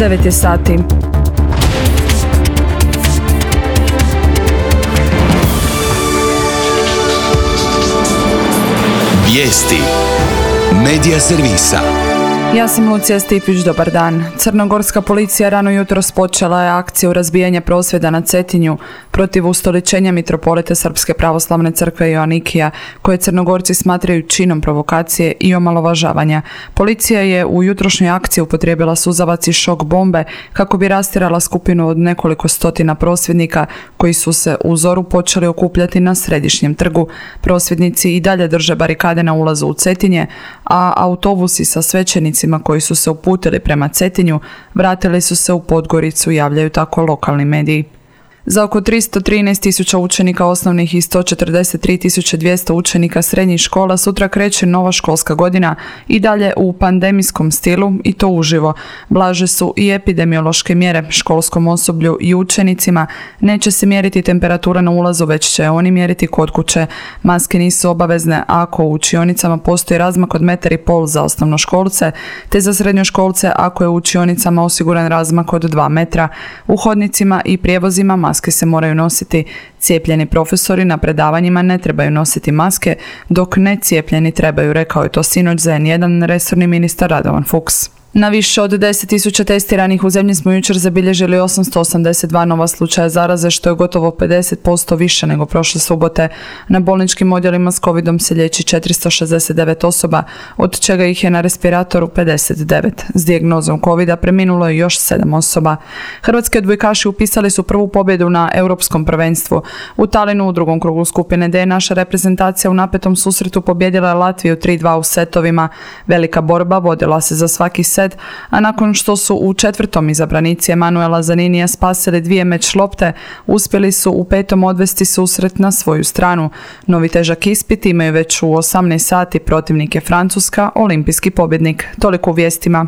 9 je sati. Vijesti Medija servisa. Ja sam Lucija Stipić, dobar dan. Crnogorska policija rano jutros počela je akciju razbijanja prosvjeda na Cetinju protiv ustoličenja mitropolita Srpske pravoslavne crkve Joanikija, koje Crnogorci smatraju činom provokacije i omalovažavanja. Policija je u jutrošnjoj akciji upotrijebila suzavac i šok bombe kako bi rastjerala skupinu od nekoliko stotina prosvjednika koji su se u zoru počeli okupljati na središnjem trgu. Prosvjednici i dalje drže barikade na ulazu u Cetinje, a autobusi sa svećenicima koji su se uputili prema Cetinju vratili su se u Podgoricu, javljaju tako lokalni mediji. Za oko 313.000 učenika osnovnih i 143.200 učenika srednjih škola sutra kreće nova školska godina i dalje u pandemijskom stilu i to uživo. Blaže su i epidemiološke mjere školskom osoblju i učenicima. Neće se mjeriti temperatura na ulazu, već će oni mjeriti kod kuće. Maske nisu obavezne ako u učionicama postoji razmak od 1,5 m za osnovnoškolce, te za srednjoškolce ako je u učionicama osiguran razmak od 2 metra. U hodnicima i prijevozima maske se moraju nositi. Cijepljeni profesori na predavanjima ne trebaju nositi maske, dok necijepljeni trebaju, rekao je to sinoć za N1 resorni ministar Radovan Fuchs. Na više od 10.000 testiranih u zemlji smo jučer zabilježili 882 nova slučaja zaraze, što je gotovo 50% više nego prošle subote. Na bolničkim odjelima s covidom se liječi 469 osoba, od čega ih je na respiratoru 59. S dijagnozom covida preminulo je još 7 osoba. Hrvatski odbojkaši upisali su prvu pobjedu na Europskom prvenstvu. U Talinu u drugom krugu skupine D naša reprezentacija u napetom susretu pobijedila je Latviju 3-2 u setovima. Velika borba vodila se za svaki set, a nakon što su u četvrtom izabranici Emanuela Zaninija spasili 2 meč lopte, uspjeli su u petom odvesti susret na svoju stranu. Novi težak ispit imaju već u 18 sati, protivnik je Francuska, olimpijski pobjednik. Toliko u vijestima.